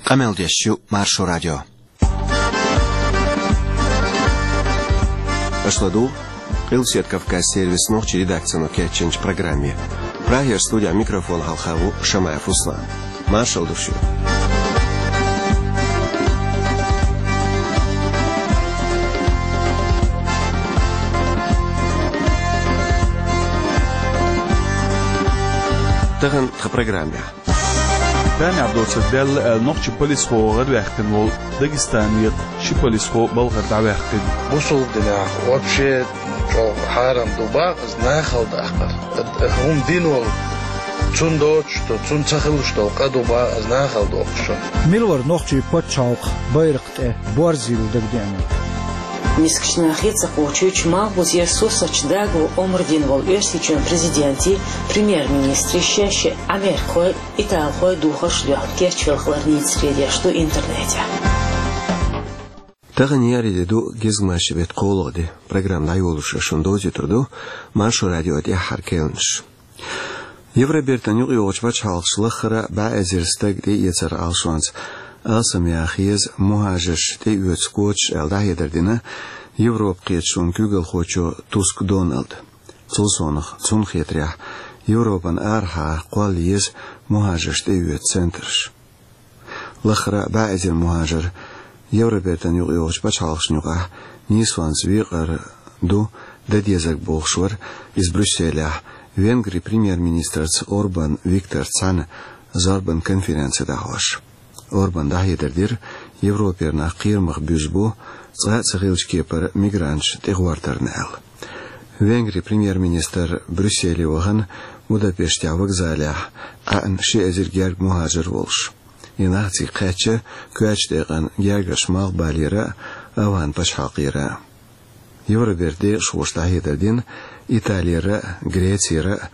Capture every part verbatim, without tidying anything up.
Къамел деш ю Маршо радио. Аша ладугӀу Къилбаседа Кавказан сервисан нохчийн редакцино кечйинчу программе. Прагера студехь микрофон хьалха ву Шамаев Руслан. Маршалла ду шуьга. Тахана тхан программехь. Тамехь доцург даьлла аьлла, нохчийн полисхо гӀарваьккхина волу Дагестанера ши полисхо балхара дӀаваьккхина. Бусалба динехь вообще чӀогӀа хьарам ду боху иза нахала даккхар. ХӀума дина волу, цунна доцуш долу, цунна ца хуьлуш долу къа ду боху иза нахала доккхуш. Мила вара нохчийн пачхьалкхан байракх тӀе борзийла дагадеанарг? Мискачу нахе ца кхочуьйтуш, малхбузера сурсаташ дагаван омра дина волу Оьрсийчоьнан президентий, премьер-министрий шаьш а америкахой, италхой духарш а доьхна кечвелла хилар нийса деш ду интернетехь. Тахана еарин де ду, гезгмашин беттан кхоалгӀа де. Программа дӀайолош шуна довзуьйтур ду Маршо радион тӀаьххьара кхаьънаш. Евробертан юкъайогӀучу пачхьалкхаша лаххара а бӀе эзар стаг тӀеэцар Ӏалашонца алсамъяха еза мухӀажарш тӀеоьцу квоташ аьлла дӀахьедар дина Европан кхеташонан куьйгалхочо Туск Доналда. Цул совнаха, цунна хетарехь, Европан арахьа кхолла еза мухӀажарш тӀеоьцу центраш. Лаххара а бӀе эзар мухӀажар Евробертан юкъайогӀучу пачхьалкхашна юкъахь нийсонца векъар ду дан дезарг бохуш вара иза Брюсселехь Венгрин премьер-министрца Орбан Викторца цхьаьна зорбан конференци дӀахьош. Орбана дӀахьедар дира, Европера нах кхерамах буьзна бу цкъа а ца хиллачу кепара мигранташ тӀегӀортарна аьлла. Венгрин премьер-министр Брюсселе вахана, Будапештехь вокзалехь Ӏаьхна ши эзар гергга мухӀажар волуш. И нах цига кхаьчна коьртачу декъана гергарчу Малхбалера а, АвгӀанПачхьалкхера а. Евробертан декъашхоша дӀахьедар дина, Италера а, Грецера а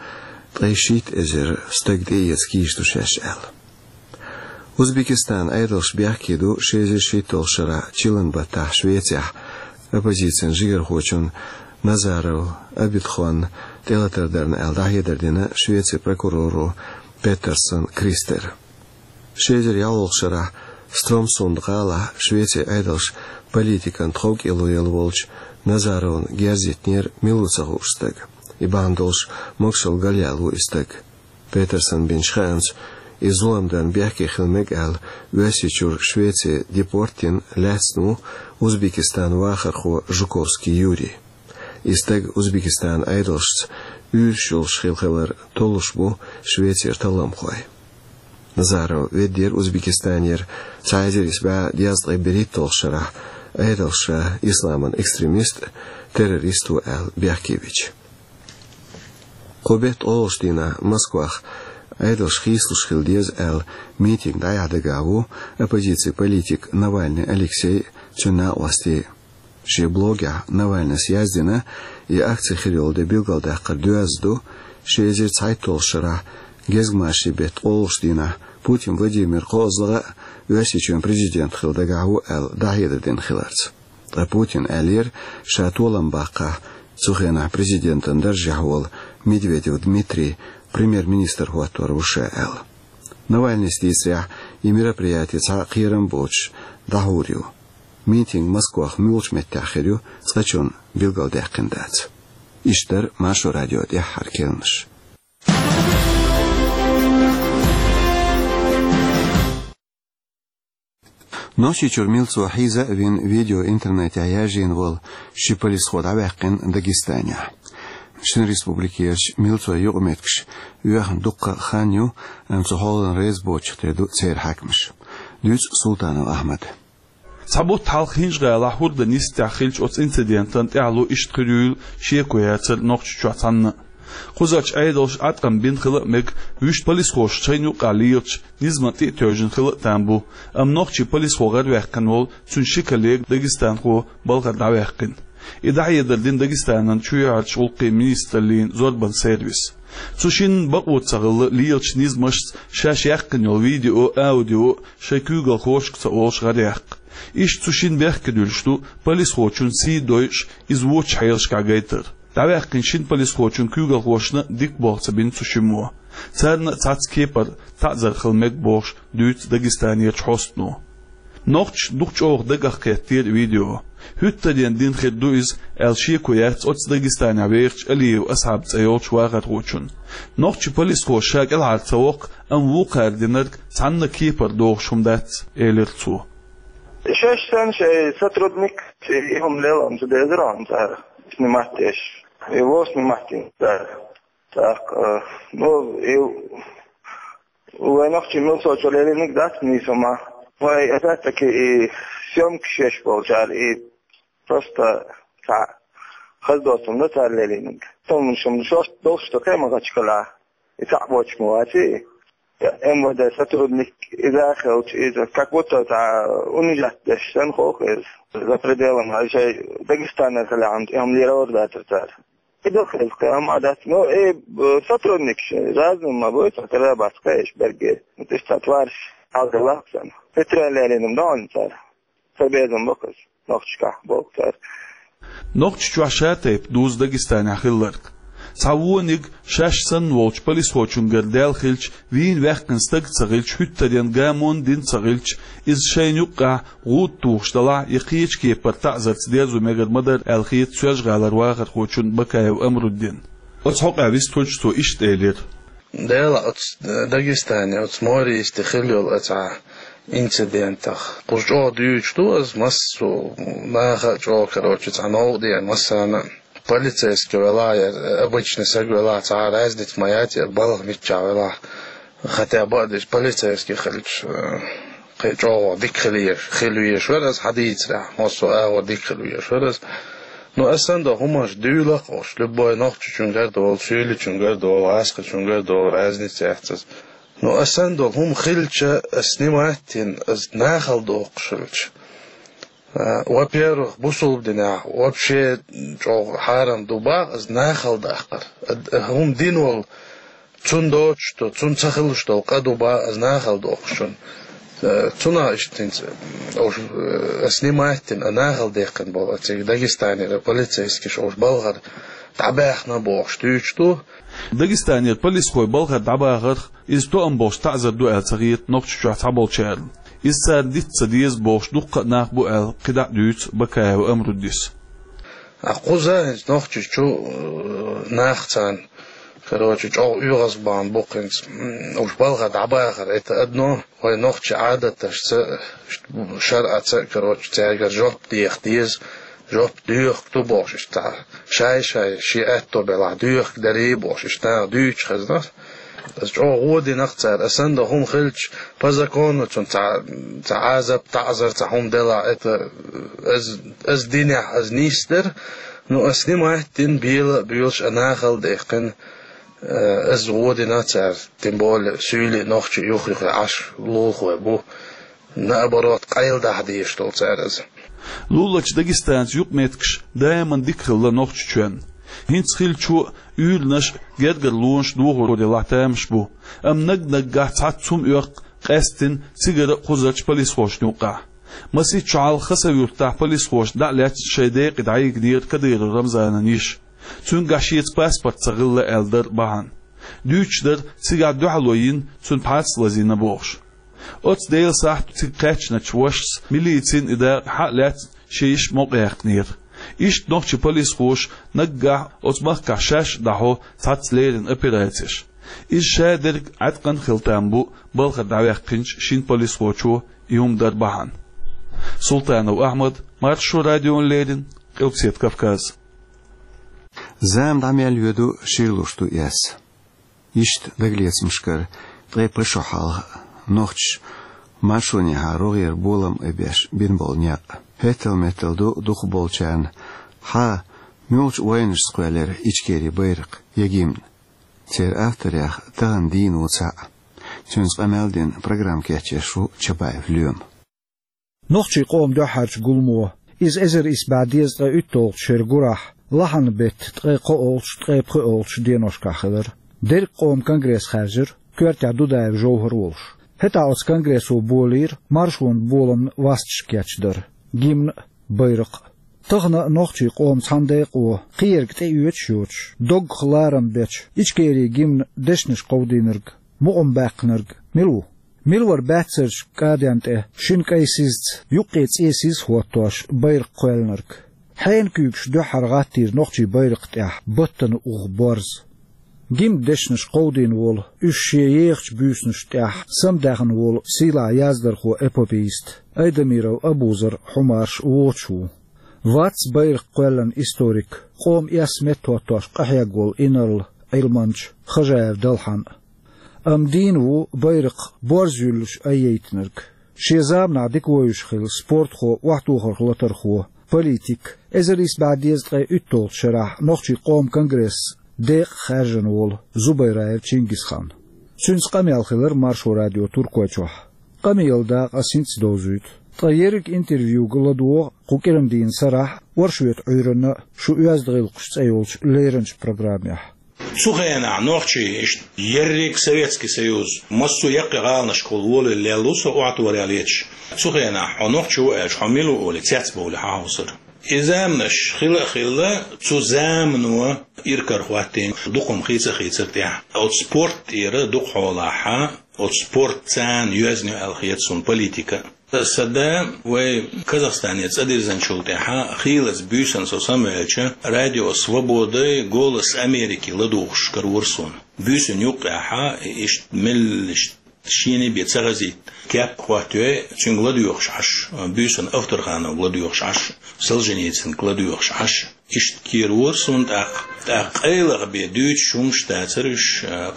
ткъе шийтта эзар стаг тӀеэца кийча ду шаьш аьлла. Узбекистанан Ӏедалша бехке ду ши эзар шийтталгӀачу шарахь чиллан баттахь Швецехь оппозицин жигархочун Назаров Абидхонна тӀелатар дарна аьлла дӀахьедар дина Швецин прокуроро Петерсон Кристера. Ши эзар ялхолгӀачу шарахь Стромсунд гӀалахь Швецин Ӏедалша политикан тховкӀело елла волчу Назаровна герз йитинера мила ву ца хууш стаг. И бахьана долуш могушалла галъяьлла ву и стаг. Петерсона бинчу хаамца, и зулам дарна бехке хила мега аьлла, Оьрсийчуьра Швеце депорт дина лаьцна ву Узбекистанан вахархо Жуковский Юрий. И стаг Узбекистанан Ӏедалшца уьйраш йолуш хилла хилар толлуш бу Швецера талламхой. Назаров веддера Узбекистанера цхьа эзар исс бӀе дезткъе берхӀитталгӀачу шарахь, Ӏедалша исламан экстремист а, террорист а ву аьлла бехке бича. Кху беттан ткъолгӀачу дийнахь Москвахь Ӏедалш хийцалуш хила деза аьлла митинг дӀаяхьа дагахь ву оппозицин политик Навальный Алексей а, цуьнан накъостий а. Шен блогехь Навальныйс яздина, и акци хир йолу де билгалдаккхар доьзна ду, ши эзар цхьайтталгӀачу шарахь гезгмашин беттан ткъолгӀачу дийнахь Путин Владимир кхозлагӀа а, Оьрсийчоьнан президент хила дагахь ву аьлла дӀахьедар дина хиларца. Ткъа Путина аьллера, ша толам баккхахь, цу хенахь президентан даржехь волу Медведев Дмитрий премьер-министр хӀоттор ву ша аьлла. Навальныйс дийцарехь, и мероприяти цхьа а кхерам боцуш дӀахьур ю. Митинг Москвахь муьлхачу меттехь хир ю, цкъачунна билгалдаьккхина дац. Иштта дара Маршо радион тӀаьххьара кхаьънаш. Нохчийчуьра милцо хьийза а вина, видео интернетехь яржийна волу ши полисхо дӀаваьккхина Дагестанехь. Шина республикерчу милцойн юкъаметтигаш оьхна дуккха а хан ю, амма цу хьолана реза боцуш тера ду церан хьаькамаш. Дуьйцу Султанов Ахьмада. Цхьа бутт хьалха ХӀинжа-ГӀалахь хӀордан йистехь хиллачу оцу инцидентана тӀаьхьало иштта хир юйла шеко яцара Нохчийчохь цхьанна а. Кхузарчу Ӏедалша Ӏаткъам бина хила а мега, вуьшта полисхоша шайна юккъехь лелачу низамна тӀе а тевжина хила а там бу, амма нохчийн полисхо гӀарваьккхина волу цуьнан ши коллега дагестанхо балхара дӀаваьккхина. И дӀахьедар дина Дагестанан чоьхьарчу гӀуллакхийн министраллин зорбан сервиса. Цу шинна бакъо ца хилла лелачу низамашца шаьш яьккхина йолу видео а, аудио а шайн куьйгалхошка ца олуш гӀаръяккха. Иштта цу шинна бехке дуьллуш ду полисхочун сий дойуш, иза вочу хьелашкахь гайтар. ДӀаваьккхинчу шина полисхочун куьйгалхошна дика болх ца бина цу шиммо. Царна а цхьацца кепара таӀзар хила мега бохуш дуьйцу Дагестанерчу хьостано. Нохчаша дукха чӀогӀа дагах кхеттера видео. ХӀуьттаренна дина хир ду иза, аьлла шеко яц оцу Дагестанехь вехачу Алиев Асхьаб цӀе йолчу вахархочун. Нохчийн полисхо ша кӀелхьара ца воккху, амма вукхара динарг цхьанна кепара догӀуш хӀума дац, элира цо. Шаьш санна шайн сотрудник и хӀума лело ца дезара хьуна цара, снимать деш. И вон снимать дина цара. ТӀаккха, э, ну, и вайн нохчийн милицочо лелийнарг дац нийса хӀума. Вай, опять-таки, и съёмкаш еш болчара, и просто цхьа хаза доцург ду цара лелийнарг. Туманаш шуна шош долуш ду кхин ма гӀачкхила. И цхьаъ боцуш ма вац и. МВД сотрудник иза а хилча, иза как будто цхьа унижать деш санна хӀокху иза. За пределами, шайн Дагестанера хилахь, и хӀума лелор дацара цара. И ду хеза кхин хӀума а дац. Ну, и, э, сотрудникаш разный ма буй, цхьа тера бац кхаьш берге. Ну, тӀе цхьа твараш хьалдалахь санна. Питралеринам ду хьуна цара. Ца безам бу хаза. Нохчашкахь боху цара. Нохчийчохь ша тайпа дузу Дагестанехь хилларг. Цхьа вониг шаьш санна волчу полисхочуьнгара даьлла хилча, вийна ваьккхина стаг а ца хилча, хӀуьттаренна гамонна дина ца хилча, иза шайна юккъехь гӀуда тухуш далахь я кхечу кепара таӀзарца дерзо мегар ма дара аьлла хета Соьлжа-ГӀалара вахархочун Бакаев Амруддин. Оцу хьокъехь вистхуьлуш цо иштта элира. Дела оцу Дагестане, оцу Морийсте хилла йолу оцу инцидентах. Кхуза чӀогӀа дуьйцуш ду аса массо а наха а чӀогӀа, короче, цхьа новкъа деана массарна а. Полицейский велахь я обычный саг велахь, цхьа а разница ма яц, я балха миччахь велахь. Хотя бы а деш полицейский хилча, э, кхин чӀогӀа дика хила везаш, хила везаш вара аса, хьан дийцарехь, массо а агӀор дика хила везаш вара аса. Ну, аса санна долу хӀуманаш дуьйла а хууш, любой нохчичуьнгара долу, суьйличуьнгара долу, гӀазкхичуьнгара долу, разница яц аса. Ну, аса санна долу хӀума хилча, аса снимать дина, аса нахала доккхуш хилча. А, во-первых, бусулба динехь вообще чӀогӀа хьарам ду боху аса нахала даккхар. А, а, хӀума дина волу, цунна доцуш долу, цунна ца хилуш долу къа ду боху аса нахала доккхуш хилча. Э, цунах иштта хӀинца, м, уж, э, снимать дина, а нахала даьккхина болу, а цига Дагестанера полицейскиша уж балхара дӀабаьхна бохуш дуьйцуш ду. Дагестанера полисхой балхара дӀабахарх иза тоам болуш таӀзар ду аьлла ца хета Нохчийчохь цхьаболчарна. Иза царна диц ца деза бохуш дуккха а нах бу аьлла кхидӀа а дуьйцу Бакаев Амруддис. А кхуза хӀинца Нохчийчу, э, нах царна, короче, чӀогӀа оьгӀазбахна бу хӀинца, м, уж балха дӀабахар, это одно, вай нохчийн Ӏадаташца, шарӀаца, короче, цаьргара жоп деха деза, жоп доьхург ду бохуш, иштта шай-шай, шен аьтто белахь доьхург дарий бохуш, иштта наха дуьйцуш хезна. Аса чӀогӀа гӀо дина-кх цара, аса санна долу хӀума хилча, по закону цунна цхьа, цхьа Ӏазап, таӀзар, цхьа хӀума делахь, это, аса, аса динехь, аса нисдара, ну, аса снимать дина, бела а боьлуш, а нахала даьккхина, э, аса гӀо дина цара, тем более, суьйли нохчий юх-юххе Ӏаш лулахой бу. Наоборот, къайладахьа дезаш долу цара иза. Луларчу Дагестанца юкъаметтигаш даиман дика хилла Нохчийчоьнна. ХӀинца хиллачо а, уьйранаш а, гергарлонаш а дохор делахь тамаш бу. Амма наг-наггахь цхьацца хӀума оьккху къаьсттина цигара а, кхузарчу полисхошна юккъехь. Масийтта шо хьалха Хасавюртахь полисхоша дӀа а лаьцна шайн декъе дӀайигнера Кадыров Рамзанан йиша. Цуьнгахь шеца паспорт ца хилла аьлла дара бахьана. Дуьйцуш дара, цигахь дуьхьало йина, цуьнан пхьарс лазийна бохуш. Оцу Делан сахьтехь цига кхаьчначу вашас милицина и дакъа хьа а лаьцна шен йиша мукъаяьккхинера. Иштта нохчийн полисхоша наггахь оцу махкахь шаьш а дӀахьо цхьацца леррина операцеш. Иза шадерг Ӏаткъана хила там бу балхара дӀаваьккхинчу шина полисхочо и хӀума дар бахьана. Султанов Ахьмад, Маршо радиона леррина, Къилбаседа Кавказ. Зама дӀа мел йоьду, шир луш ду эс. Иштта дагалецамашкара ткъе пхи шо хьалха нохчаша маршонехьа рогӀера болам а беш бина болу некъ. ХӀеттал-меттал ду дукхахболчарна: «Хьан, муьлхачу вайнашца кхоьллира Ичкерин байракх я гимн?» Церан авторех тахана дийна ву цхьаъ. Цуьнца къамел дина программа кечъеш ву Чабаев Лоьма. Нохчийн къоман дуьххьарчу гуламо, иза эзар исс бӀе дезткъе уьтталгӀачу шеран гурахь, лахьанан беттан ткъе кхоалгӀачу, ткъе пхоалгӀачу деношкахь хилира. Дерриг къоман конгресс хаьржира, коьртехь Дудаев Жовхар а волуш. ХӀетахь оцу конгрессо болийра маршонан боламна васташ кечдар, гимн а, байракх а. Тахана а нохчийн къоман цхьана декъо, кхиерг тӀеоьцуш йоцуш, доггах ларам бечу Ичкерин гимнан дешнаш кховдийнарг, мукъам баьккхинарг мила ву? Мила вара баьццарчу кӀаден тӀе шина кӀайн сизца, юккъе цӀен сиз а хӀоттош, байракх кхоьллинарг? Хьенан куьйгаш дуьххьара гӀаттийра нохчийн байракх тӀехь баттана уху борз? Гимнан дешнаш кховдийна волу, уьш шен ехачу буьйсанаш тӀехь самадаьхна волу сийлахь яздархо, эпопеист Айдамиров Абузар Хьумарш воцуш ву. Вац байракх кхоьллина историк, къоман эс меттахӀоттош къахьегна волу инарла Ӏилманча Хожаев Далхьан а. Амма дийна ву байракх борз юьллуш айъяйтинарг. Шен заманахь дика вевзаш хилла спортхо, охьатохарх латархо, политик, эзар исс бӀе дезткъе уьтталгӀачу шарахь нохчийн къоман конгрессан декъа хаьржина волу Зубайраев Чингисхан. Цуьнца къамел хилира Маршо радион Туркойчохь. Къамелан дакъа ас хӀинца а довзуьйту. Ткъа ерриг интервьюга ладогӀа кху кӀиран дийнан сарахь а, оршотан Ӏуьйранна а «Шун оьзда гӀиллакхаш» цӀе йолчу леринчу программехь. Цу хенахь нохчий иштта ерриг Советский Союз массо а яккхий гӀаланашкахула волавелла лелла ву со охьатохарехь леташ. Цу хенахь хьо нохчо ву аьлча, хьо мила ву олий, цецбовлий хьахьовсура. И заманаш хилла а хилла, цу замано иракарахӀоттийна дукха хӀума хийца а хийцира тӀехь. Оцу спорт тӀера дукха хьолахь, оцу спорт царна йоьзна ю аьлла хета суна политика. Сан да вай Казахстане цӀа дирзинчул тӀаьхьа, хийлаза буьйсанна со самаваьлча, Радио Свободай, Голос Америки ладугӀуш каравора суна. Буьйсанна юккъехь, иштта меллаша шена бен ца хазийта кеп а хӀоттайой, цуьнга ладоьгӀуш Ӏаш, буьйсанна Авторхановга ладоьгӀуш Ӏаш, Солженицынга ладоьгӀуш Ӏаш. Иштта кхеравора суна тӀаккха. ТӀаккха къайлаха бен дуьйцуш хӀумнаш дацара уьш,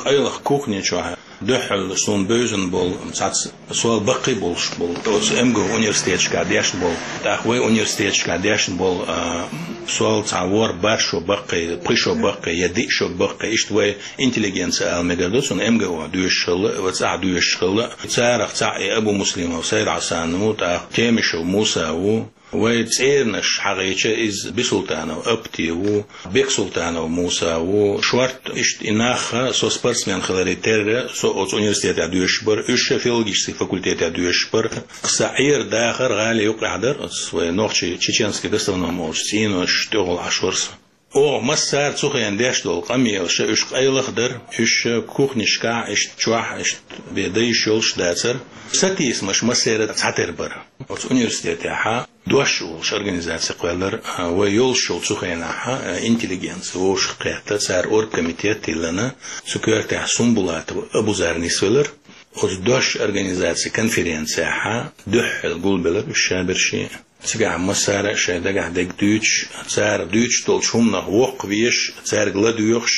къайлаха кухни чохь дуьххьал суна бевзина болу цхьацца сол баккхий болуш болу, оцу МГУ университеташкахь дешна болу, тӀаккха вай университеташкахь дешна болу, а, сол цхьа ворхӀ-бархӀ шо баккхий, пхи шо баккхий я диъ шо баккхий, иштта вай интеллигенция ала мегар ду, цунна МГУ-хь доьшуш хилла, вай цӀахь доьшуш хилла. Царах цхьаъ и Абумуслимов Сайд-Хьасан ву, тӀаккха Темишев Муса ву. Вай цӀеранаш хьахийча, иза Бисултанов Апти ву, Бексултанов Муса ву, шорта иштта и нах, со спортсмен хиларе терра, со оцу университетехь доьшуш бара, уьш филологический факультетехь доьшуш бара. Сан Ӏер-дахар гӀали юккъехь дара, оцу вай нохчий чеченский гастроном олучу цӀенош тӀехула Ӏаш вара со. Оха массара цу хенахь деш долу къамелаш, уьш къайлаха дара, уьш кухнишкахь, иштта чохь, иштта бен дан йиш йолуш дацара. Сатийсамаш массеран а цхьатера бара. Оцу университетехь «Дош» олуш организаци кхоьллира, а, вай йолуш йолу цу хенахь, а, интеллигенция вовшахкхетта, цара оргкомитет а тиллина, цу коьртехь Сумбулатов Абузар нисвелира. Оцу «Дош» организацин конференцехь дуьххьал гулбелира уьш шаберш а. Цигахь массара а шайн дагахь дерг дуьйцуш, цара дуьйцуш долчу хӀуманах воккхавеш, цаьрга ладоьгӀуш,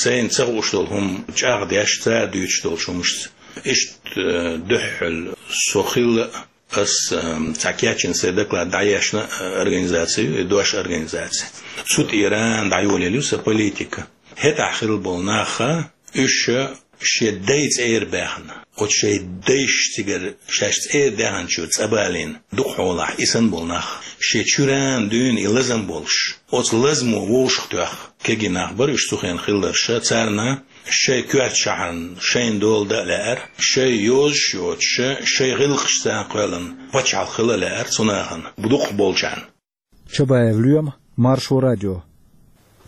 сайна ца хууш долу хӀума чӀагӀдеш, цара дуьйцуш долчу хӀумашца. Иштта, э, дуьххьал со хилла, ас, э, цхьа кечйина сайн доклад дӀаешна, э, организаци ю, и «Дош» организаци. Цу тӀера дӀайолаелла ю сан политика. ХӀетахь хилла болу нах, уьш шен дай цӀера баьхна, оцу шайн дайша цигара шаьш цӀера даьхначу цӀа балийна, дукха хьолахь и санна болу нах, шен чуьра дуьйна и лазам болуш, оцу лазамо вовшахтоьхна кегий нах бара уьш цу хенахь хилларш, царна шайн коьртачохь шайна дола дан а лаьара, шайн йозуш йоцуш, шайн гӀиллакхашца кхоьллина пачхьалкх хила а лаьара цу нахана, дукхахболчарна. Чабаев Лоьма, Маршо радио.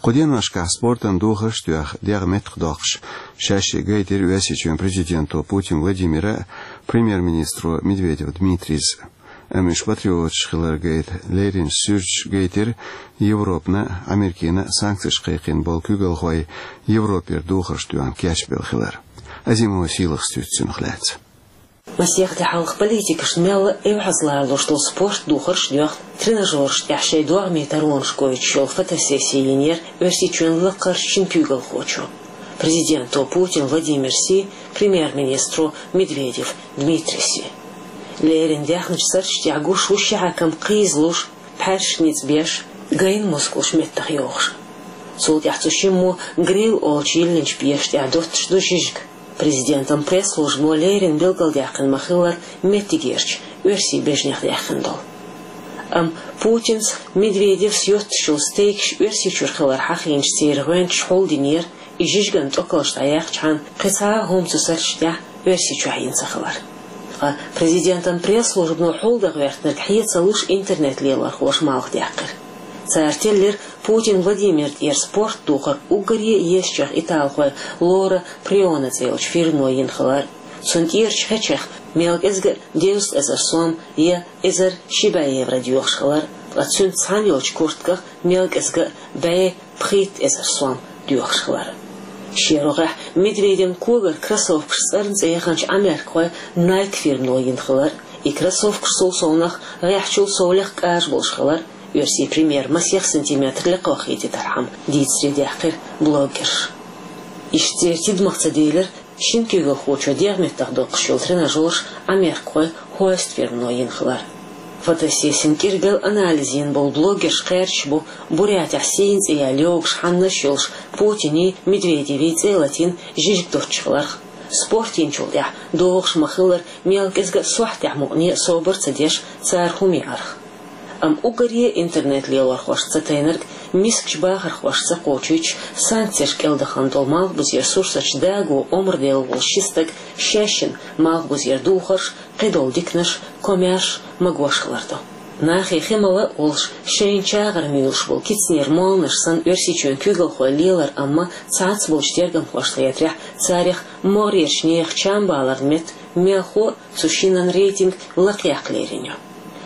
Кху деношкахь спортан духарш а тоьхна, дегӀ меттахдоккхуш, шаьш гайтира Оьрсийчоьнан президенто Путин Владимира а, премьер-министро Медведев Дмитрийс а. Амма уьш патриоташ хилар гайта леринчу суьрташа гайтира Европана а, Америкина а санкцеш кхайкхийна болу куьйгалхой Европера духарш тоьхна кечбелла хилар. Азимова Сийлахьас дуьйцу цунах лаьцна. Масех де хьалха политикашна мелла а эвхьазлар луш долу спорт духарш а доьхна, тренажераш тӀехь шайн догӀмийн таронаш гойтуш йолу фотосессия йинера Оьрсийчоьнан лакхарчу шина куьйгалхочо. Президенто Путин Владимирси, премьер-министро Медведев Дмитрийси. Леррина даьхначу сарчу тӀехь гуш ву ши хьаькам кхийзалуш, пхьаьршаш ницкъ беш, гайна мускулаш меттах йохуш. Цул тӀаьхьа цу шиммо гриль олучу йиллинчу пеша тӀехь доттуш ду жижиг. Президентан пресс-службано леррина билгалдаьккхина ма-хиллара меттигерчу оьрсийн бежнех даьккхина долу. Амма Путинс, Медведевс йоттуш йолу стейкаш Оьрсийчуьра хилар хьахийначу церан гӀоьнчаша хьулдинера, и жижиган тӀокалш дӀаяьккхачхьана кхин цхьа а хӀума цу сарчу тӀехь Оьрсийчохь йина ца хилар. Ткъа президентан пресс-службано хьулдан гӀоьртинарг хье ца луш интернет-лелорхоша малхдаьккхира. Цара теллира Путин Владимира тӀера спорт духар уггаре езачех италхой Лора Прионо цӀе йолчу фирмано йина хилар. Цунна тӀерачу хечех мел кӀезга а дезткъа эзар сом я эзар ши бӀе евро доьхуш хилар, ткъа цуьнца цхьаьна йолчу куртгах мел кӀезга а бӀе пхийтта эзар сом доьхуш хилар. Шен рогӀехь Медведевн когара кроссовкаш цӀарна цӀе яханчу Ӏамеркахой Nike фирмано йина хилар. И кроссовкаш цул совнах гӀеххьачул сов лекха кӀажа болуш хилар, оьрсийн премьер масех сантиметр лекха вахийтитархьама дийцаре даьккхира блогерша. Иштта церан тидамах ца делира шина куьйгалхочо дегӀ меттах доккхуш йолу тренажераш Ӏамеркахой Hoist фирмано йина хилар. Фотосессин кӀиргал анализ йина болу блогерш кхаьрдаш бу Бурятехь сийна цӀе яьлла йогуш хьаннаш йолуш Путиний, Медведевий цӀе латийна жижиг доцчу хиларх. Спорт йинчул тӀаьхьа догӀуш ма-хиллара мел кӀезга а сохьтехь мукъане а собар ца деш цара хӀума яарх. Амма уггаре интернет-лелорхошца ца тайнарг мискачу бахархошца кхочуьйтуш санкцеш кӀелдахана долу Малхбузера сурсаташ даго омра делла волу ши стаг шаьшшинна Малхбузера духарш, кхидолу диканаш, комаьрша магош хилар ду. Нахе хи мала а олуш, шайна чагӀар муьйлуш болу кицанера молланаш санна Оьрсийчоьнан куьйгалхой лелар, амма цхьацца болчу тергамхошна хетарехь, царех могӀарерчу нехан чамбаларан метта мелхо а цу шинан рейтинг лакхаяккха лерина ю.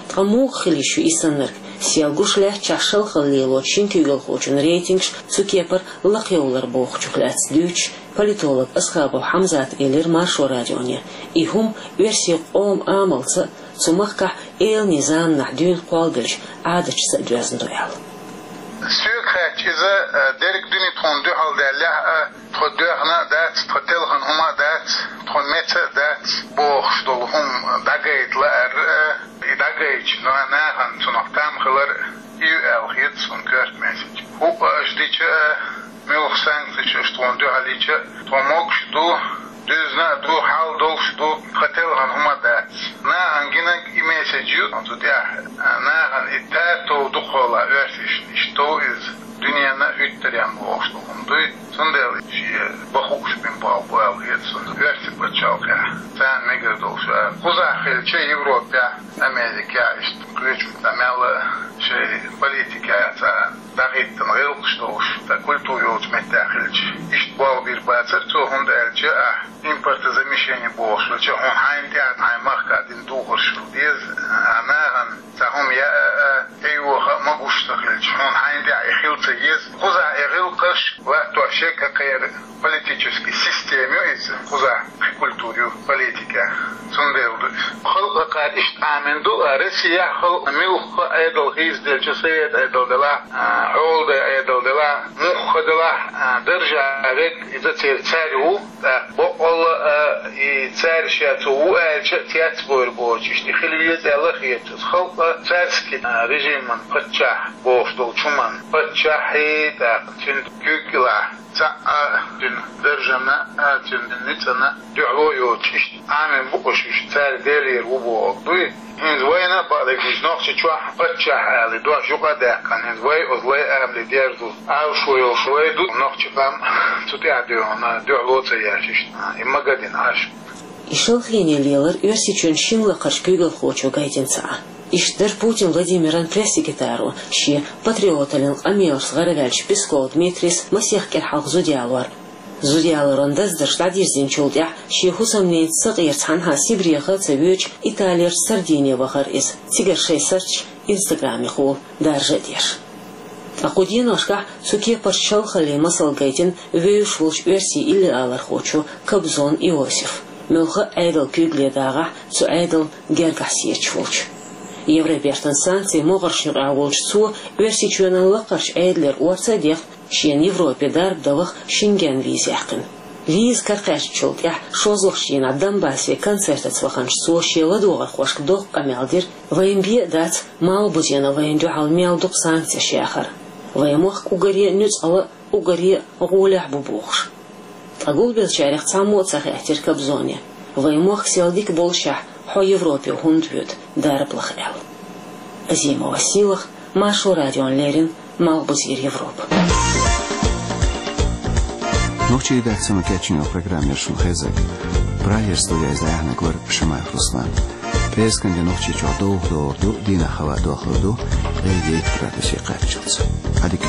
Ткъа муха хила йиш ю и саннарг? Сел гуш лаьттачохь шалхалла лелочу шина куьйгалхочун рейтингаш цу кепара лакхайовлар бохучух лаьцна дуьйцуш, политолог Асхабов Хьамзата элира Маршо радионе, и хӀума оьрсийн къоман амалца а, цу махкахь эланийн заманахь дуьйна кхолладеллачу Ӏадаташца а доьзна ду аьлла. Соьга хаьттича иза, э, дерриг дуьне тхуна дуьхьал даьллехь а, тхо доьхна а дац, тхо телхина хӀума а дац, тхо меца а дац бохуш долу хӀума дӀагайта лаар а, и дӀагайтича, но нахана цунах там хилар а ю аьлла хета суна коьрта месача. ХӀуъа аша дича а, муьлха санкцеш аша тхуна дуьхьал йича а, тхо могуш а ду, дуьзна а ду, хьал долуш а ду, тхан телхина хӀума а дац. Нахана гинарг и меседж ю, цу тӀехь, а, нахана и тар тов ду кхола оьрсашна, иштта тов иза, дуьненна а хӀуьттаренна бохуш ду хӀума дуй, цундела шен бахууш бина болх бу аьлла хета суна оьрсийн пачхьалкхехь, царна мегар долуш а. Кхузахь хилча Европехь, Америкехь, иштта кхечу а мел шайн политикехь цара дӀахӀиттина гӀиллакхаш долуш, ткъа культура йолчу меттехь хилча, иштта болх бийр бацара цо, хӀунда аьлча ахь импортозамещение бохуш хилча, хьуна хьайна тӀехь, хьайн махка дина духарш хила деза, а нахана цхьа хӀума яа а, тӀейоха а могуш ца хилча, хьуна хьайна тӀехь и хила ца еза. Кхузахь и гӀиллакхаш латтош ерг а кхеран политический система ю иза, кхузахь культура ю, политика. Цундела ду иза. Халкъ кхара иштта Ӏамийна ду, а Россияхь халкъ муьлхха а Ӏедал хийцаделча, совет Ӏедал делахь, а, хьолдай Ӏедал делахь, муьлхха делахь, а, даржехь верг иза церан цаьрга ву, тӀаккха баккъалла а, и цаьрга ша цо ву аьлча а цецбойр боцуш, и хила веза аьлла хета. Халкъ царский, а, режиман паччахь бохуш долчу хӀуман паччахьий, тӀаккха цуьнан куьйга кӀелахь цхьаъ а, цуьнан даржана а, цуьнан ницкъана а дуьхьало йоцуш, иштта Ӏамийна бу уьш, уьш цаьрга делера ву бохург дуй. ХӀинца вайна а бакъдерг вуьйцу, Нохчийчохь паччахь ала дош юкъа а даьккхина, хӀинца вай оцу лай амале дерзо Ӏалашо йолуш вай ду, нохчийн къам цу тӀехь дуьхьал, дуьхьало ца еш, иштта и магадина Ӏаш. И шалхене лелар Оьрсийчоьнан шина лакхарчу куьйгалхочо гайтина ца Ӏа. Иштта дара Путин Владимиран пресс-секретаро, шен патриоталлин къамелашца гӀараваьллачу Песков Дмитрийс масех кӀира хьалха зуда ялор. Зуда ялоран даздарш дӀадирзинчул тӀаьхьа шен хӀусамненца сакъера цхьанхьа Сибреха а ца воьдуш, Италерчу Сардине вахара иза, цигара шайн сурташ Инстаграмехула даржа а деш. Ткъа кху деношкахь цу кепарчу шалхаллин масал гайтина вевзаш волчу оьрсийн иллиалархочо Кобзон Иосифа. Муьлхха а Ӏедал куьйгалле дагӀахь, цу Ӏедална гергахь сецаш волчу. Евробертан санкцийн могӀаршна юкъахь волчу цо Оьрсийчоьнан лакхарчу Ӏедалера орца а дехна, шена Европе дарба дан ваха Шенген виза яьккхина. Виза каракхаьчначул тӀаьхьа шозлагӀчу дийнахь Донбассе концертаца ваханчу цо шен ладогӀархошка доккха къамел дира: «Вайна бен а дац, Малхбузена вайна дуьхьал мел дукха санкцеш яхар. Вайн мохк уггаре а нуьцкъала а, уггаре а гӀолехь бу», – бохуш. Ткъа гулбеллачарех цхьаммо а ца хаьттира Кобзоне: «Вайн мохк сел дика боллушехь, хьо Европе хӀунда воьду дарба лаха?» – аьлла. Азимова Сийлаха, Маршо радиона леррина, Малхбузера Европа. Нохчийн редакцино кечйина программа яра шуна хезар. Прагера студехь иза дӀаяьхьнарг вара Шамаев Руслан. Эскан де нохчи чугдух дорду, дина хава дохлуду, эйдейт градусе каччалца. Адик.